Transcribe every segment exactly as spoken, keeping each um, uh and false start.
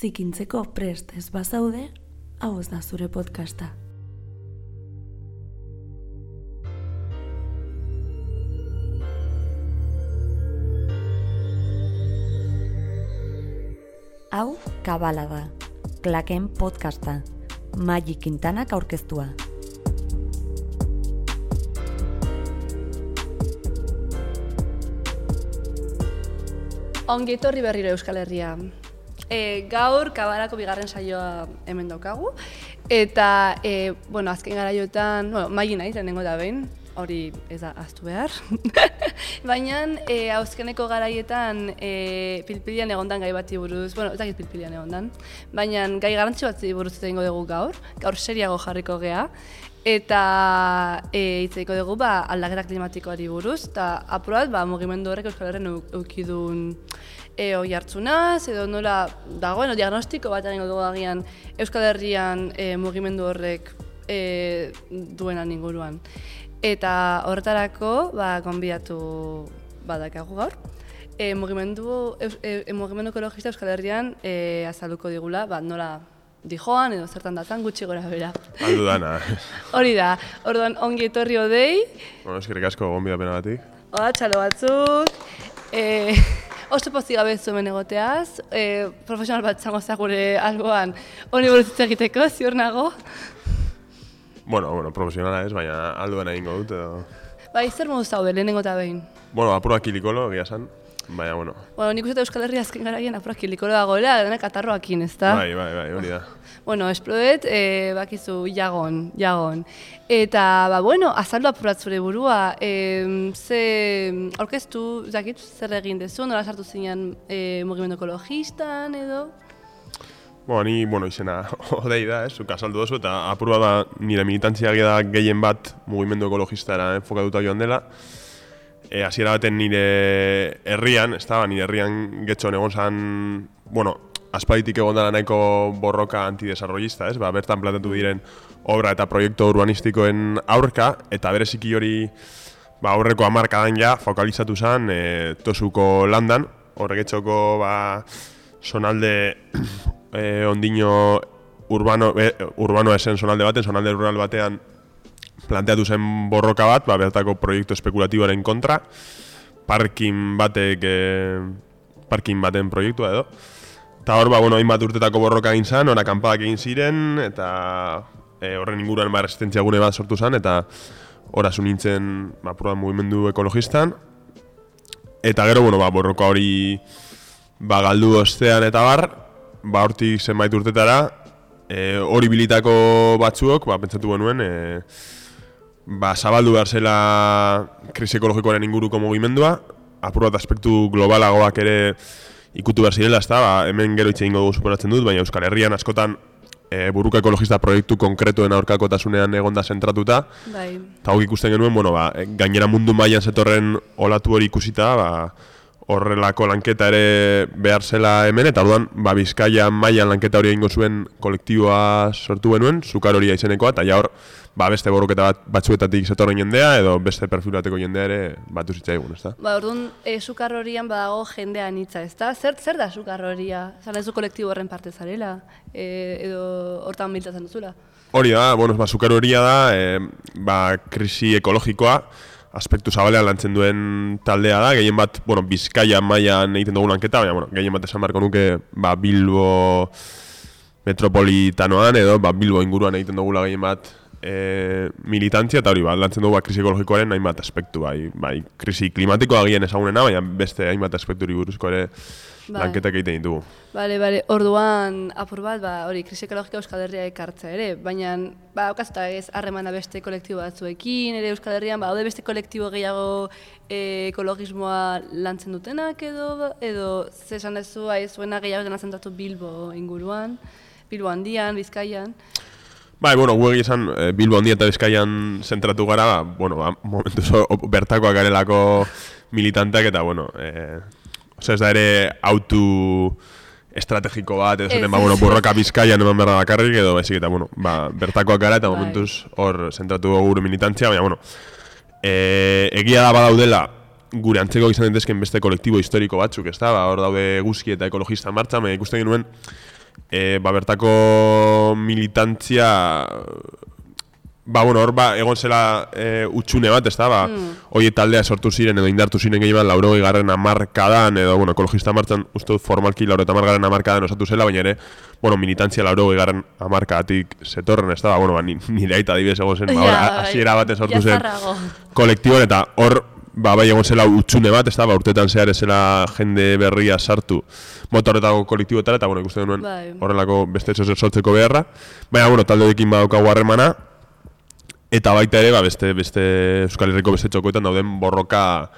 zikintzeko prest ez bazaude, hau ez da zure podcasta. Hau Kabala da, Klaken podcasta, Maggi Quintanak aurkeztua. Ongi etorri berriro Euskal Herria. E, gaur Kabalako bigarren saioa hemen daukagu, eta e, bueno, azken garaiotan, bueno, Maggi naiz lehenengo da behin, hori ez da ahaztu behar. Baina e, azkeneko garaietan e, pilpilian egondan gai bati buruz, bueno, ez dakit pilpilian egondan, baina gai garrantzitsu bati buruz egingo dugu gaur, gaur seriago jarriko gea, eta e, hitz egingo dugu ba, aldaketa klimatikoari buruz, eta apurat ba, mugimendu horrek Euskal Herrian eukidun e, oi hartzunaz, edo nola dagoen, diagnostiko bat egingo dugu agian Euskal Herrian e, mugimendu horrek e, duenan inguruan. Eta horretarako ba, gonbidatu badakagu gaur. E, mugimendu, e, mugimendu ekologista Euskal Herrian e, azalduko digula, ba, nola dijoan edo zertan datan gutxi gora bera. Aldu dana. Hori da, orduan ongi etorri odei. Bueno, eskerrik asko gonbidapena batik. Oda, txalo batzuk. E, oso pozik gabe zuen egoteaz, e, profesional bat zango gure alboan honi buruz hitz egiteko, ziur nago. Bueno, bueno, profesionala ez, baina alduan egingo dut edo... Bai, zer modu zaude, lehenengo eta behin? Bueno, apurua kilikolo, egia esan, baina, bueno... Bueno, nik uste Euskal Herria azken garaien apurua kilikolo dagoela, denak atarroakin, ez da? Bai, bai, bai, hori da. Bueno, esplodet, e, bakizu, jagon, jagon. Eta, ba, bueno, azaldu apurat zure burua, e, ze aurkeztu, zakit, zer egin dezu, nola sartu zinean e, mugimendu ekologistan edo? Bueno, ni, bueno, izena odei da, ez, zuk azaldu dozu, eta apurua da nire militantzia da gehien bat mugimendu ekologistara enfokatuta joan dela. E, hasiera baten nire herrian, ez da, nire herrian getxon egon zan, bueno, aspalditik egon dela nahiko borroka antidesarrollista, ez, ba, bertan planteatu diren obra eta proiektu urbanistikoen aurka, eta bereziki hori, ba, aurreko hamarkadan ja, fokalizatu zen e, Tosuko landan, horregetxoko, ba, zonalde eh, ondino urbano, eh, urbanoa esen zonalde baten, zonalde rural batean planteatu zen borroka bat, ba, bertako proiektu espekulatiboaren kontra, parkin batek, eh, parkin baten proiektua edo. Eta hor, ba, bueno, hainbat urtetako borroka egin zen, hor akanpadak egin ziren, eta eh, horren inguruan ba, resistentzia gune bat sortu zen, eta hor azu nintzen ba, proba mugimendu ekologistan. Eta gero, bueno, ba, borroka hori ba, galdu ostean eta bar, ba, hortik zenbait urtetara, e, hori bilitako batzuok, ba, pentsatu genuen, e, ba, zabaldu behar zela krisi ekologikoaren inguruko mugimendua, apur bat aspektu globalagoak ere ikutu behar zirela, ezta, ba, hemen gero hitz egingo dugu superatzen dut, baina Euskal Herrian askotan e, buruka ekologista proiektu konkretuen aurkakotasunean egonda zentratuta. Bai. Eta hori ikusten genuen, bueno, ba, gainera mundu mailan zetorren olatu hori ikusita, ba, horrelako lanketa ere behar zela hemen, eta orduan ba, Bizkaia mailan lanketa hori egingo zuen kolektiboa sortu genuen, Zukar horia izenekoa, eta ja hor ba, beste borroketa bat, batzuetatik zetorren jendea, edo beste perfil bateko jendea ere batu zitzaigun, ezta? Ba, orduan, e, Zukar horian badago jendea anitza, ezta? Zer, zer da Zukar horia? Zan ez du kolektibo horren parte zarela? E, edo hortan biltatzen duzula? Hori da, bueno, ba, Zukar horia da, e, ba, krisi ekologikoa, aspektu zabalean lantzen duen taldea da, gehien bat, bueno, Bizkaia mailan egiten dugu lanketa, baina, bueno, gehien bat esan beharko nuke, ba, Bilbo metropolitanoan edo, ba, Bilbo inguruan egiten dugula gehien bat e, militantzia, eta hori, ba, lantzen dugu ba, krisi ekologikoaren hainbat aspektu, bai, bai, krisi klimatikoa gehien ezagunena, baina beste hainbat aspekturi buruzko ere lanketak egiten ditugu. Bale, bale, orduan apur bat, ba, hori, krisi ekologika Euskal Herria ekartzea ere, baina, ba, okazuta ez harremana beste kolektibo batzuekin, ere Euskal Herrian, ba, haude beste kolektibo gehiago e, ekologismoa lantzen dutenak edo, edo, zesan dezu, aiz, zuena gehiago dena zentratu Bilbo inguruan, Bilbo handian, Bizkaian. Bai, bueno, gu egizan Bilbo handia eta Bizkaian zentratu gara, ba, bueno, ba, momentuz bertakoak garelako militanteak eta, bueno, eh, Osa ez da ere autu estrategiko bat, edo zaten, ba, bueno, borroka Bizkaian eman behar da bakarrik, edo baizik eta, bueno, ba, bertakoak gara eta momentuz hor zentratu gure militantzia, baina, bueno, e, egia da badaudela gure antzeko izan daitezken beste kolektibo historiko batzuk, ezta? Ba, hor daude Eguzki eta ekologista martxa, baina ikusten genuen e, ba, bertako militantzia, ba, bueno, hor, ba, egon zela e, utxune bat, ez da, ba, mm. hoi taldea sortu ziren edo indartu ziren gehien laurogei garren hamarkadan, edo, bueno, ekologista martzan, uste dut formalki laurogei hamargarren hamarkadan osatu zela, baina ere, bueno, militantzia laurogei garren hamarkadatik zetorren, ez da, ba, bueno, ba, nire aita adibidez egon zen, ba, hor, hasiera baten sortu zen kolektiboan, eta hor, ba, bai egon zela utxune bat, ez da, ba, urtetan zehar ezela jende berria sartu mota horretako kolektiboetara, eta, bueno, ikusten duen horrelako beste sortzeko beharra, baina, bueno, taldeekin badaukagu harremana, eta baita ere, ba, beste, beste Euskal Herriko beste txokoetan dauden borroka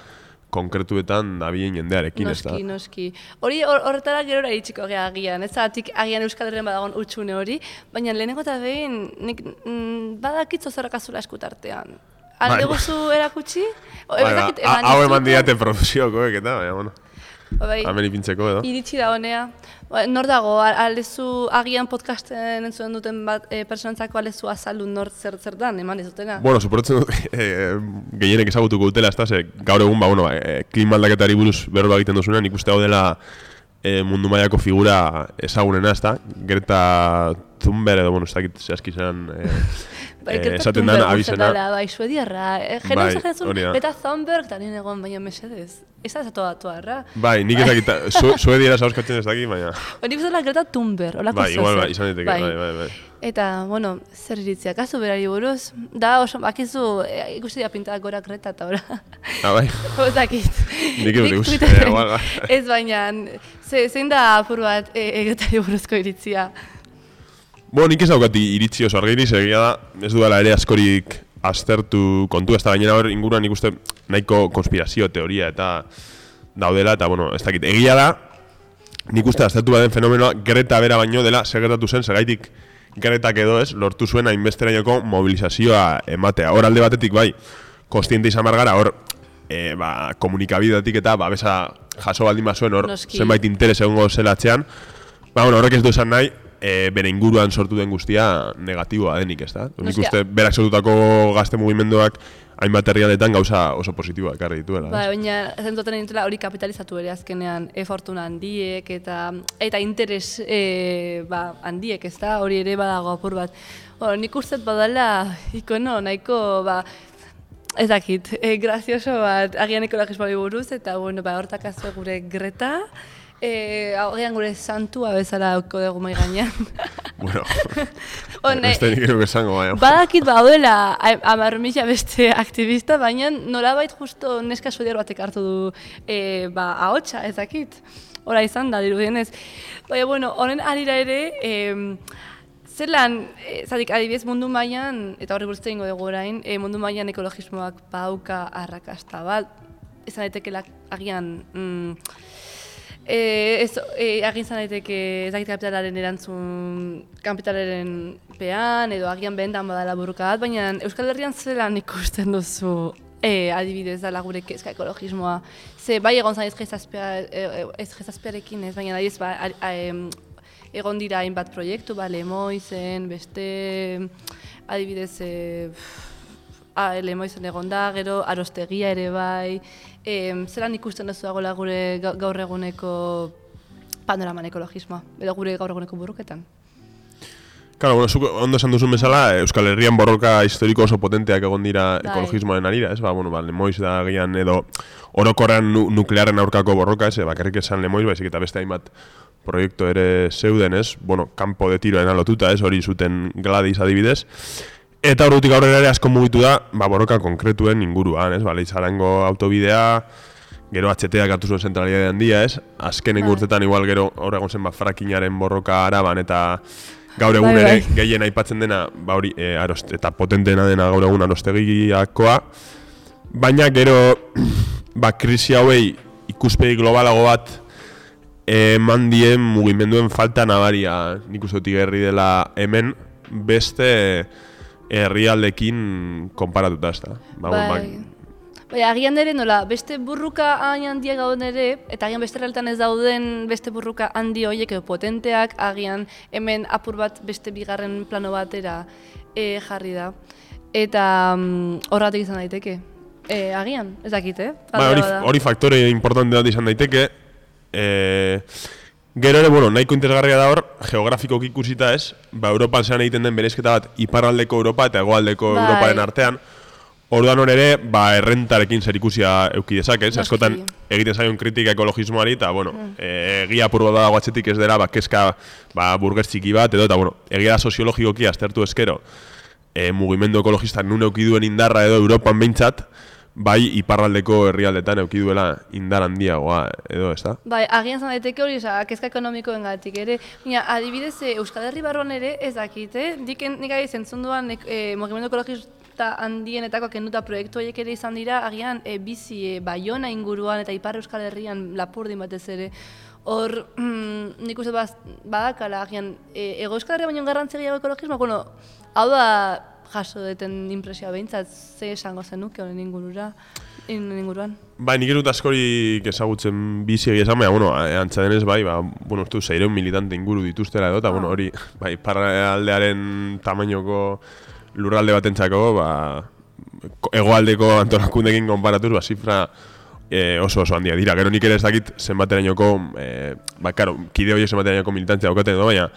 konkretuetan dabilen jendearekin, ez da? Noski, noski. Hori horretara gerora iritsiko gea agian, ez da, agian Euskal Herrian badagon utxune hori, baina lehenengo eta behin, nik mm, badakitzo zerrakazula eskutartean. Alde guzu erakutsi? Hau eman diate produzioko, eta, baina, bueno. Bai, hemen ipintzeko edo. Iritsi da honea. Nor dago, aldezu agian podcasten entzuen duten bat e, personantzako aldezu azaldu nor zer zertan, eman ez dutena? Bueno, suporatzen dut, e, gehienek ezagutuko dutela, ez da, ze, gaur egun, ba, bueno, e, klima aldaketari buruz berba egiten duzunean, ikuste hau dela e, mundu mailako figura ezagunena, ez da, Greta Thunberg edo, bueno, ez dakit zehazki zen... E, Bai, Greta esaten dan abizena. Bai, suediarra. Jena bai, esatzen Greta Thunberg, eta nien egon, baina mesedez. Ez da zato atuarra. Bai, nik ez dakit, su, suediara zauzkatzen ez dakit, baina... Nik ez da Greta Thunberg, olako bai, igual, bai, izan diteke, bai, bai, bai. Eta, bueno, zer iritzia, kasu berari buruz, da oso, bakizu, e, ikusi da pintada gora Greta eta ora. Ah, bai? Ozakit. Nik ez dut ikusi, igual, bai. Ez baina, zein da apur bat e, e, Gretari buruzko iritzia? Bueno, nik ez daukat iritzi oso argiri, egia da, ez dudala ere askorik aztertu kontu, ez da gainera hor inguruan nik uste nahiko konspirazio teoria eta daudela, eta bueno, ez dakit, egia da, nik uste aztertu baden fenomenoa Greta bera baino dela, segertatu zen, segaitik Gretak edo ez, lortu zuen hainbesterainoko mobilizazioa ematea. Hor alde batetik bai, konstiente izan margara, hor e, ba, komunikabidetik eta ba, besa jaso baldin bazuen hor zenbait interes egongo zelatzean, ba, bueno, horrek ez du esan nahi, E, bere inguruan sortu den guztia negatiboa denik, ez da? Nik uste berak sortutako gazte mugimenduak hainbat herrialdetan gauza oso positiboa ekarri dituela. Ba, baina zentoten dintela hori kapitalizatu ere azkenean e-fortuna handiek eta eta interes e, ba, handiek, ez da? Hori ere badago apur bat. Bueno, nik uste badala ikono nahiko ba, ez dakit, e, grazioso bat agian ekologismoari buruz eta bueno, ba, hortak azue gure Greta. Eh, agian gure santua bezala dauko dugu mai gainean. Bueno, beste nik eruke esango baina. Badakit baudela hamar mila beste aktivista, baina nolabait justo neska suediar batek hartu du eh, ba, ahotsa, ez dakit. Hora izan da, dirudienez. Baina, bueno, honen arira ere, eh, zelan, eh, zatik adibidez mundu mailan, eta horri buruzte ingo dugu orain, eh, mundu mailan ekologismoak badauka arrakasta bat, izan daitekeela agian... Mm, E, ez, e, agin zan daiteke ezakit kapitalaren erantzun kapitalaren pean edo agian behentan badala burruka bat, baina Euskal Herrian zelan ikusten duzu e, adibidez dala gure kezka ekologismoa. Ze bai egon zan ez jezazpearekin ez, baina nahi ez ba, a, a, a, egon dira hainbat proiektu, ba, Lemoizen, beste adibidez e, a, Lemoizen egon da, gero Arostegia ere bai, E, zelan ikusten duzu dagoela gure gaur eguneko panoraman ekologismoa, edo gure gaur eguneko burruketan? Claro, bueno, zuk ondo esan duzun bezala, Euskal Herrian borroka historiko oso potenteak egon dira bai. Ekologismoaren arira, ez? Ba, bueno, ba, Lemoiz da gian edo orokorrean nu nuklearen aurkako borroka, ez? Bakarrik esan Lemoiz, baizik eta beste hainbat proiektu ere zeuden, ez? Bueno, kanpo de tiroen alotuta, ez? Hori zuten Gladys adibidez. Eta horretik aurrera ere asko mugitu da, ba, borroka konkretuen inguruan, ez? Ba, Leizarango autobidea, gero H T-ak hartu zuen zentralidade handia, ez? Azkenen urtetan igual gero hor egon zen ba, frakinaren borroka Araban eta gaur egun ere gehien aipatzen dena, ba hori, e, arost, eta potentena dena gaur egun Arostegiakoa. Baina gero, ba, krisi hauei ikuspegi globalago bat eman dien mugimenduen falta nabaria, nik uste dut igerri dela hemen, beste herrialdekin konparatuta, ez da. Ba, bai. Bai, agian ere nola, beste burruka hain handiak gauden ere, eta agian beste realtan ez dauden beste burruka handi horiek edo potenteak, agian hemen apur bat beste bigarren plano batera e, jarri da. Eta um, horretik izan daiteke. E, agian, ez dakit, eh? Ba, hori, hori faktore importante bat izan daiteke. E, Gero ere, bueno, nahiko interesgarria da hor, geografikoki ikusita ez, ba, Europan zean egiten den bereizketa bat, iparraldeko Europa eta hegoaldeko bai. Europaren artean, orduan hor ere, ba, errentarekin zer ikusia euki dezakez, askotan egiten zaion kritika ekologismoari, eta, bueno, mm. e, egia apur bat dago atzetik ez dela, ba, keska, ba, burgers txiki bat, edo, eta, bueno, egia da soziologikoki aztertu eskero, e, mugimendu ekologistak nun euki duen indarra edo Europan behintzat, bai iparraldeko herrialdetan euki duela indar handiagoa edo, ez da? Bai, agian zan daiteke hori, oza, kezka ekonomikoengatik ere. Baina, adibidez, Euskal Herri barruan ere ez dakit, eh? Diken nik ari zentzun duan e, mugimendu ekologista handienetako kenduta proiektu horiek ere izan dira, agian e, bizi e, Baiona inguruan eta Ipar Euskal Herrian Lapurdin batez ere. Hor, mm, nik uste badakala, agian, e, Ego Euskal Herria baino garrantzi gehiago ekologismoa, bueno, hau da jaso deten impresioa behintzat, ze esango zenuke honen ingurura, inguruan. Bai, nik erut askorik ezagutzen bizi egia esan, baina, bueno, antza denez, bai, ba, bueno, uste du, seireun militante inguru dituztela edo, eta, ah. bueno, hori, bai, paraldearen tamainoko lurralde batentzako, ba, hegoaldeko antolakundekin konparatuz, ba, zifra e, oso oso handia dira. Gero nik ere ez dakit zenbaterainoko, e, ba, karo, kide horiek zenbaterainoko militantzia daukaten edo, baina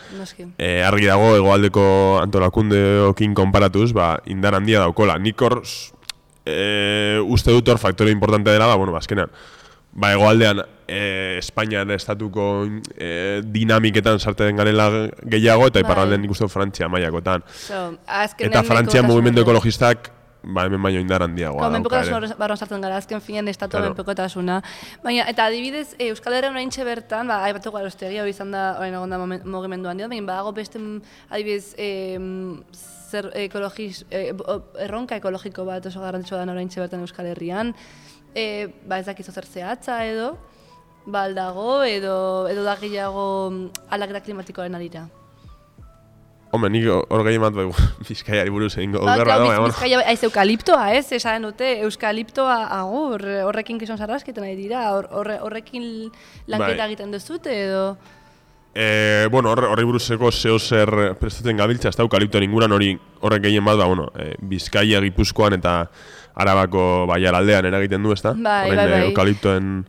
e, argi dago hegoaldeko antolakundeokin konparatuz, ba, indar handia daukola. Nik hor, e, uste dut hor faktore importante dela, ba, bueno, bazkenean, ba, hegoaldean e, Espainian estatuko e, dinamiketan sartzen garela gehiago, eta iparraldean nik uste dut Frantzia mailakotan. So, eta Frantzia mugimendu ekologistak ba, hemen baino indar handiagoa dauka ere. Menpekotasun barruan sartzen gara, azken finean estatu claro. Menpekotasuna. Baina, eta adibidez, e, Euskal Herrian oraintxe bertan, ba, aipatu garoztegia, hori izan da, orain egon da mugimendu handia, baina badago beste, adibidez, e, zer ekologiz, e, erronka ekologiko bat oso garrantzitsua da oraintxe bertan Euskal Herrian, e, ba, ez dakizu zer zehatza edo, ba, aldago, edo, edo da gehiago aldaketa klimatikoaren arira. Hombre, nik hor gehi bat Bizkaiari buruz egin gogarra ba, da, baina, Bizkaia, ez eukaliptoa, ez, esan dute, eukaliptoa agur, horrekin gizon sarrasketen nahi dira, horrekin lanketa egiten duzute, edo? E, bueno, horre buruzeko zeo zer prestatzen gabiltza, ez da eukaliptoan inguran hori horrek gehien bat, ba, bueno, e, Bizkaia, Gipuzkoan eta Arabako baialaldean eragiten du, ez da? Bai, bai, bai. Eukaliptoen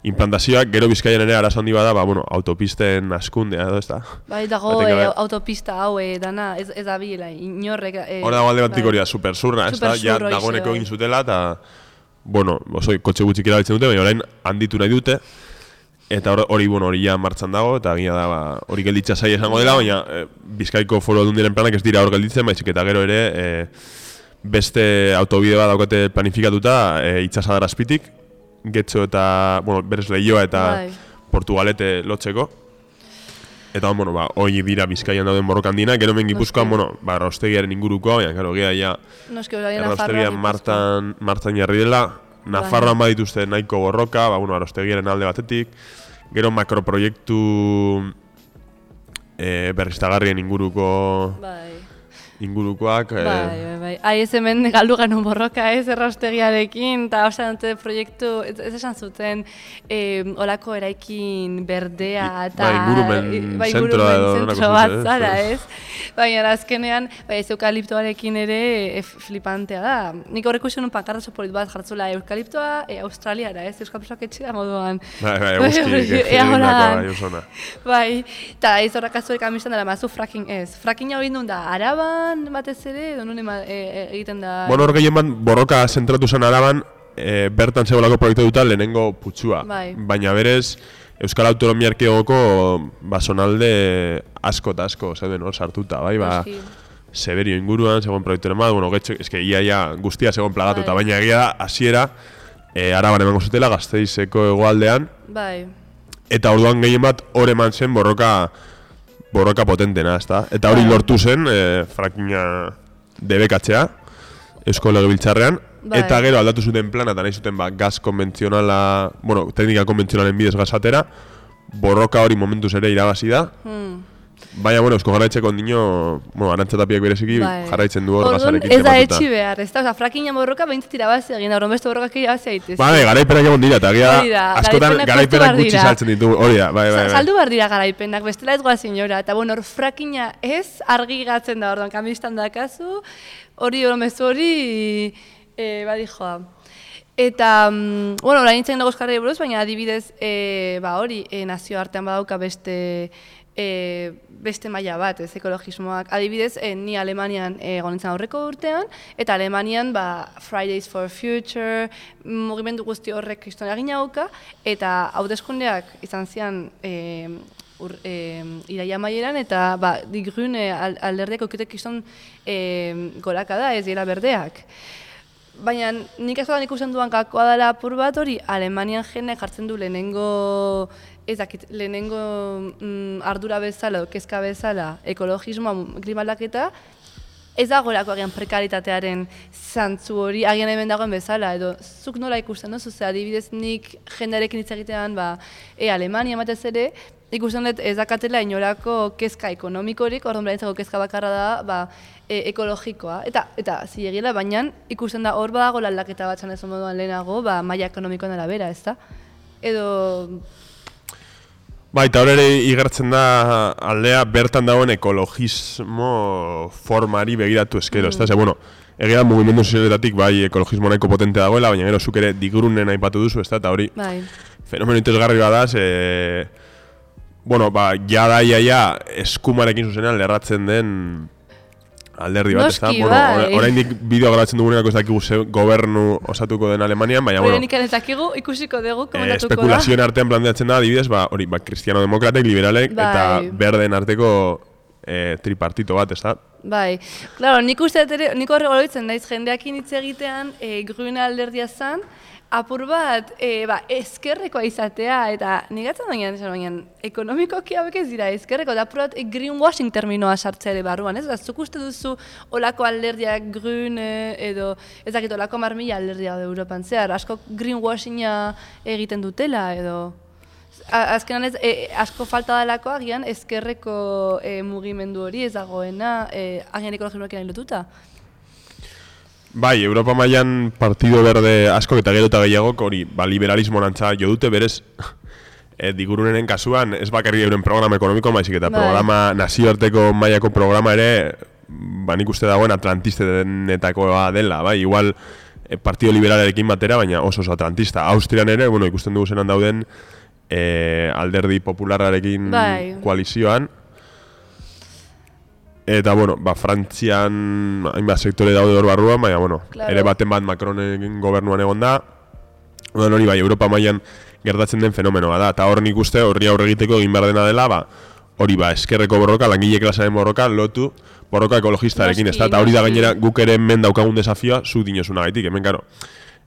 implantazioak, gero Bizkaian ere arazo handi bada, ba, bueno, autopisten askundea edo, ez da? Bai, dago e, autopista hau, e, dana, ez, ez da bila, inorrek... E, Hora dago alde batik hori da, super zurra, ez da? Ja, dagoeneko egin zutela, eta, bueno, oso, kotxe gutxik erabiltzen dute, baina orain handitu nahi dute, eta hori, bueno, hori ja martxan dago, eta gina da, ba, hori gelditza zaila esango dela, baina e, Bizkaiko Foru Aldundiaren planak ez dira hor gelditzen, baizik eta gero ere, e, beste autobide bat daukate planifikatuta, e, itxasadar azpitik, Getxo eta, bueno, berez Leioa eta bai. Portugalete lotzeko. Eta, bueno, ba, hoi dira Bizkaian dauden borroka handiena, gero men Gipuzkoan, bueno, ba, Erraustegiaren inguruko, baina, gero, gea, ja, Erraustegian martan, martan jarri dela, Nafarroan badituzte nahiko borroka, ba, bueno, Erraustegiaren alde batetik, gero makroproiektu e, berriztagarrien inguruko... Bai. ingurukoak... Bai, bai, bai. Ai, ez hemen galdu genuen borroka ez, Erraustegiarekin, eta osan dute proiektu, ez, ez esan zuten, eh, olako eraikin berdea, eta... Bai, ingurumen bai, zentroa edo... zentro bat zara, ez? Baina, azkenean, bai, ez eukaliptoarekin ere e, flipantea da. Nik horreko izan un pankarta sopolit bat jartzula, eukaliptoa e, Australiara, ez? Euskal Presoak etxea moduan. Bai, bai, guztik, egindako, bai, usona. Bai, eta ez horrak azuek amistan dela, mazu fracking ez. Fracking hau indun da, Araban, batez ere, edo nune e, e, egiten da... Bueno, hor gehien bat, borroka zentratu zen Araban, e, bertan zegoelako proiektu duta lehenengo putzua. Bai. Baina berez, Euskal Autonomia Erkidegoko basonalde asko eta asko zeuden hor sartuta, bai, ba... Severio inguruan, zegoen proiekturen bat, bueno, getxo, eske ia, ia, guztia zegoen plagatuta, bai. Baina egia da, hasiera, e, Araban emango zutela, Gasteizeko hegoaldean. Bai. Eta orduan gehien bat, hor eman zen borroka... borroka potentena, ezta? Eta hori lortu zen, e, frackinga debekatzea, Eusko Legebiltzarrean, bai. Eta gero aldatu zuten plana, eta nahi zuten ba, gaz konbentzionala, bueno, teknika konbentzionalen bidez gazatera, borroka hori momentuz ere irabazi da. Hmm. Baina, bueno, Eusko Jarraitzeko ondino, bueno, Arantzatapiak bereziki bai. Jarraitzen du hor gazarekin tematuta. Ez da etxi behar, ez da, oza, frackinga borroka behintzat irabazi egin, horren beste borrokak irabazi egitez. Bai, garaipenak egon dira, eta gira, askotan garaipenak gutxi saltzen ditu, hori da, bai, bai, bai. Saldu behar dira garaipenak, bestela ez goazin jora, eta bueno, hor frackinga ez argi gatzen da, orduan, kamistan dakazu, hori hori mezu hori, e, badi joa. Eta, um, bueno, orain nintzen dago eskarri buruz, baina adibidez, e, ba hori, e, nazio artean badauka beste E, beste maila bat, ez, ekologismoak. Adibidez, e, ni Alemanian egon nintzen aurreko urtean, eta Alemanian ba, Fridays for Future, mugimendu guzti horrek kriston egin hauka, eta hauteskundeak izan zian e, ur, e, iraia maieran, eta ba, Die Grüne alderdeak okitek kriston e, goraka da, ez dira berdeak. Baina nik ez da ikusten duan gakoa dela apur bat hori, Alemanian jende jartzen du lehenengo ez dakit, lehenengo mm, ardura bezala, kezka bezala, ekologismoa, klima aldaketa, ez dagoelako agian prekaritatearen zantzu hori, agian hemen dagoen bezala, edo zuk nola ikusten duzu, ze adibidez nik jendearekin hitz egitean, ba, e, Alemania batez ere, ikusten dut ez dakatela inolako kezka ekonomikorik, orduan berentzako kezka bakarra da, ba, e, ekologikoa. Eta, eta zilegila, baina ikusten da hor badago aldaketa bat zanezun moduan lehenago, ba, maila ekonomikoan arabera, ez da? Edo... Ba, eta hor ere igertzen da aldea bertan dagoen ekologismo formari begiratu eskero, mm. ez da? Ze, bueno, egia mugimendu sozialetatik bai ekologismo nahiko potente dagoela, baina gero zuk ere digurunen aipatu duzu, ez da? Eta hori bai. Fenomeno interesgarri bada, ze... Bueno, ba, ja da iaia eskumarekin zuzenean lerratzen den alderdi bat, ez da? Bueno, oraindik bideo grabatzen dugunerako ez dakigu gobernu osatuko den Alemanian, baina, bueno... Horrenik ez dakigu, ikusiko dugu, komentatuko da. Espekulazioen artean planteatzen da, adibidez, ba, hori, ba, kristiano-demokratek, liberalek, bai. Eta berdeen arteko e, tripartito bat, ez da? Bai, claro, nik uste ere, nik horre goloitzen naiz jendeakin hitz egitean, e, Grüne alderdia zan, apur bat, e, ba, ezkerrekoa izatea, eta nigatzen baina, baina, ekonomikoki hauek ez dira ezkerreko, eta apur bat e, greenwashing terminoa sartzea ere barruan, ez? Zuk uste duzu olako alderdiak Grüne, edo ez dakit olako marmila alderdia da Europan zehar, asko greenwashinga egiten dutela, edo... Azkenan ez, e, asko falta dalako agian ezkerreko e, mugimendu hori ez dagoena, e, agian ekologismoekin lotuta. Bai, Europa mailan Partido Verde asko eta gero eta gehiagok hori, ba, liberalismo nantza jo dute berez e, digurunenen kasuan, ez bakarri euren programa ekonomiko, baizik eta bai. Programa nazioarteko mailako programa ere, ba, nik uste dagoen atlantistenetakoa dela, bai, igual e, Partido Liberalarekin batera, baina oso oso atlantista. Austrian ere, bueno, ikusten dugu zenan dauden e, alderdi popularrarekin bai. Koalizioan, eta, bueno, ba, Frantzian hainbat sektore daude hor barruan, baina, bueno, claro. Ere baten bat Macronen gobernuan egon da. Bueno, hori, bai, Europa mailan gertatzen den fenomenoa da. Eta hor nik uste, horri aurre egiteko egin behar dena dela, ba, hori, ba, eskerreko borroka, langile klasearen borroka, lotu borroka ekologistarekin, ez da? Eta hori da gainera guk ere hemen daukagun desafioa, zuk dinozuna gaitik, hemen, karo.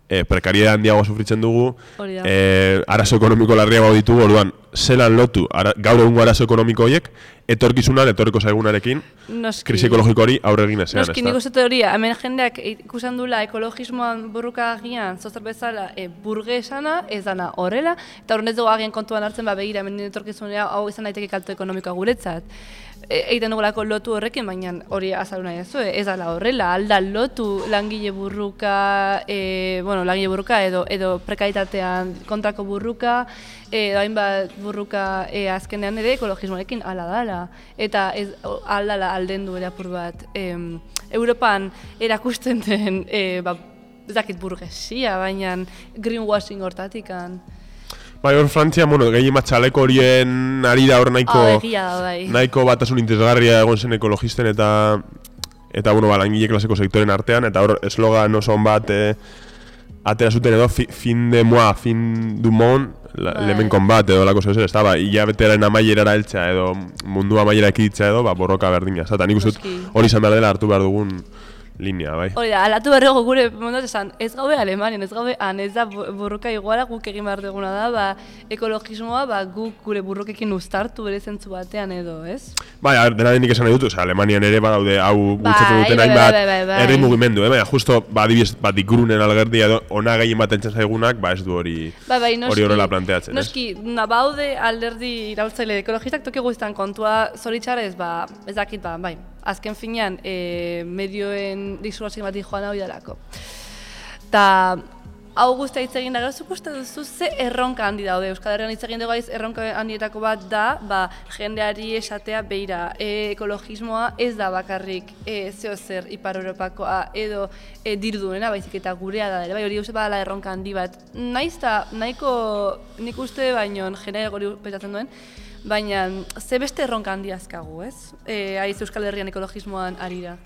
E, prekariedad handiago sufritzen dugu, e, arazo ekonomiko larriago ditugu, orduan, zelan lotu ara, gaur egungo arazo ekonomiko horiek, etorkizunan, etorriko zaigunarekin, Noski. Krisi ekologiko hori aurre egin ezean, ez da? Noski, nik uste teoria, hemen jendeak ikusten dula ekologismoan burruka agian, zozor bezala, e, burgesana, ez dana horrela, eta horren ez dugu agian kontuan hartzen, ba, begira, hemen etorkizunea, hau izan daiteke kalto ekonomikoa guretzat. Egiten dugulako lotu horrekin, baina hori azaluna ez ez dala horrela, alda lotu langile burruka, e, bueno, langile burruka edo, edo prekaritatean kontrako burruka, edo hainbat burruka e, azkenean ere ekologismoarekin ala dala. Eta ez aldala alden du ere apur bat. E, Europan erakusten den, e, ba, ez dakit burgesia, baina greenwashing hortatikan. Bai, hor Frantzia, bueno, gehien matxaleko horien ari da hor nahiko, oh, egia, bai. Nahiko batasun interesgarria egon zen ekologisten eta eta bueno, ba, langile klaseko sektoren artean, eta hor eslogan oso on bat e, atera zuten edo fi, fin de moi, fin du monde, bai. Lemen konbat edo lako zeu zer, ez da, ba, hilabeteren amaierara heltzea edo mundu amaiera ekiditzea edo, ba, borroka berdina, eta nik uste dut hori izan behar dela hartu behar dugun linea, bai. Hori da, alatu berrego gure mondot esan, ez gaude Alemanian, ez gaude han, ez da burruka iguala guk egin behar duguna da, ba, ekologismoa, ba, guk gure burrukekin uztartu bere zentzu batean edo, ez? Bai, dena denik esan nahi dut, oza, Alemanian ere badaude hau bultzatzen duten hainbat herri mugimendu, eh? Baina, justo, ba, adibidez, bat ikurunen algerdia edo, ona gehien bat entzen zaigunak, ba, ez du hori hori horrela planteatzen, ez? Noski, nabaude alderdi iraultzaile ekologistak toki guztan kontua zoritxarrez, ba, ez dakit, ba, bai. Azken finean, e, medioen disolazio bat joan hau idalako. Ta, hau guztia hitz egin da, gero zuk uste duzu ze erronka handi daude. Euskal Herrian hitz egin dugu gaiz, erronka handietako bat da, ba, jendeari esatea beira, e, ekologismoa ez da bakarrik e, zeo zer Ipar Europakoa edo e, diruduena, baizik eta gurea da ere, bai, hori uste badala erronka handi bat. Naiz da, nahiko nik uste baino jendeak hori petatzen duen, baina ze beste erronka handi azkagu, ez? E, aiz Euskal Herrian ekologismoan arira.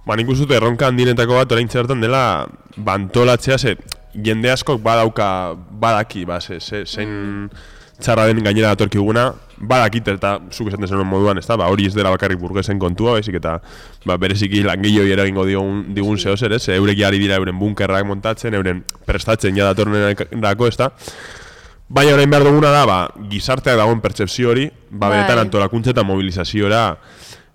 Ba, nik uste dut erronka handinetako bat orain zertan dela bantolatzea, ze jende askok badauka, badaki, ba, ze, ze, zein txarra den gainera datorkiguna, badakit eta zuk esaten zenuen moduan, ez da, ba, hori ez dela bakarrik burgesen kontua, baizik eta ba, bereziki langiloi eragingo digun, digun zeo zer, ez, eurek ari dira euren bunkerrak montatzen, euren prestatzen ja datorrenerako, ez da. Baina orain behar duguna da, ba, gizarteak dagoen pertsepzio hori, ba, benetan antolakuntza eta mobilizaziora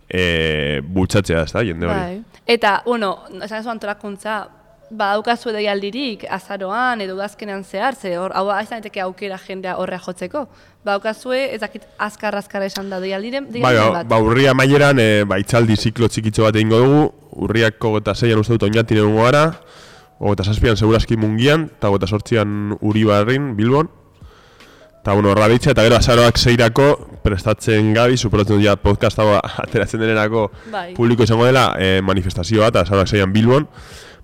e, bultzatzea, ez da, jende hori. Bai. Eta, bueno, esan ez antolakuntza, badaukazu deialdirik azaroan edo udazkenean zehar, ze hor, hau izan daiteke aukera jendea horrea jotzeko. Badaukazue, ez dakit azkar-azkar esan da deialdiren bai, bat. Ba, urria amaieran, e, ba, itzaldi ziklo txikitxo bat egingo dugu, urriak hogeita zeian uste dut oinatin egungo gara, hogeita zazpian segurazki Mungian, eta hogeita sortzian Uribarrin, Bilbon. Eta, bueno, horra bitxea, eta gero azaroak zeirako prestatzen gabi, superatzen dut ja podcast hau ateratzen denerako bai. Publiko izango dela e, manifestazio bat, azaroak zeian Bilbon.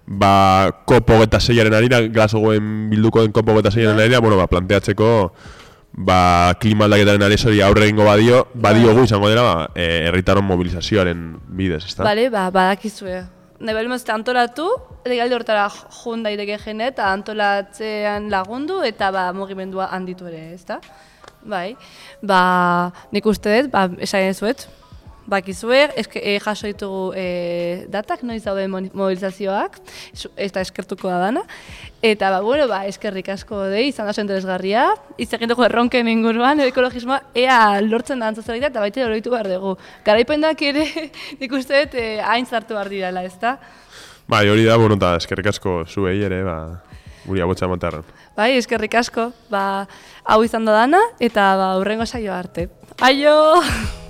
Ba, kopo hogeita zeiaren arira, Glasgowen bilduko den kopo hogeita zeiaren arira, bueno, ba, planteatzeko ba, klima aldaketaren aresori aurre egingo badio, badiogu izango dela, ba, herritarron mobilizazioaren bidez, ezta? Bale, ba, badakizue. Nahi behar mazte antolatu, legalde hortara jun daiteke jende, eta antolatzean lagundu, eta ba, mugimendua handitu ere, ezta? Bai, ba, nik uste dut, ba, esaien zuet, bakizue, eske, e, jaso ditugu e, datak, noiz daude mobilizazioak, eta eskertuko da dana. Eta, ba, bueno, ba, eskerrik asko dei, izan da interesgarria, izan dugu erronken inguruan, ekologismoa, ea lortzen da antzazelita, eta baita hori behar dugu. Garaipendak ere, nik uste dut, e, hain zartu behar direla, ezta? Bai, hori da, bueno, eta eskerrik asko zuei ere, ba, guri abotza matarren. Bai, eskerrik asko, ba, hau izan da dana, eta ba, hurrengo saio arte. Aio!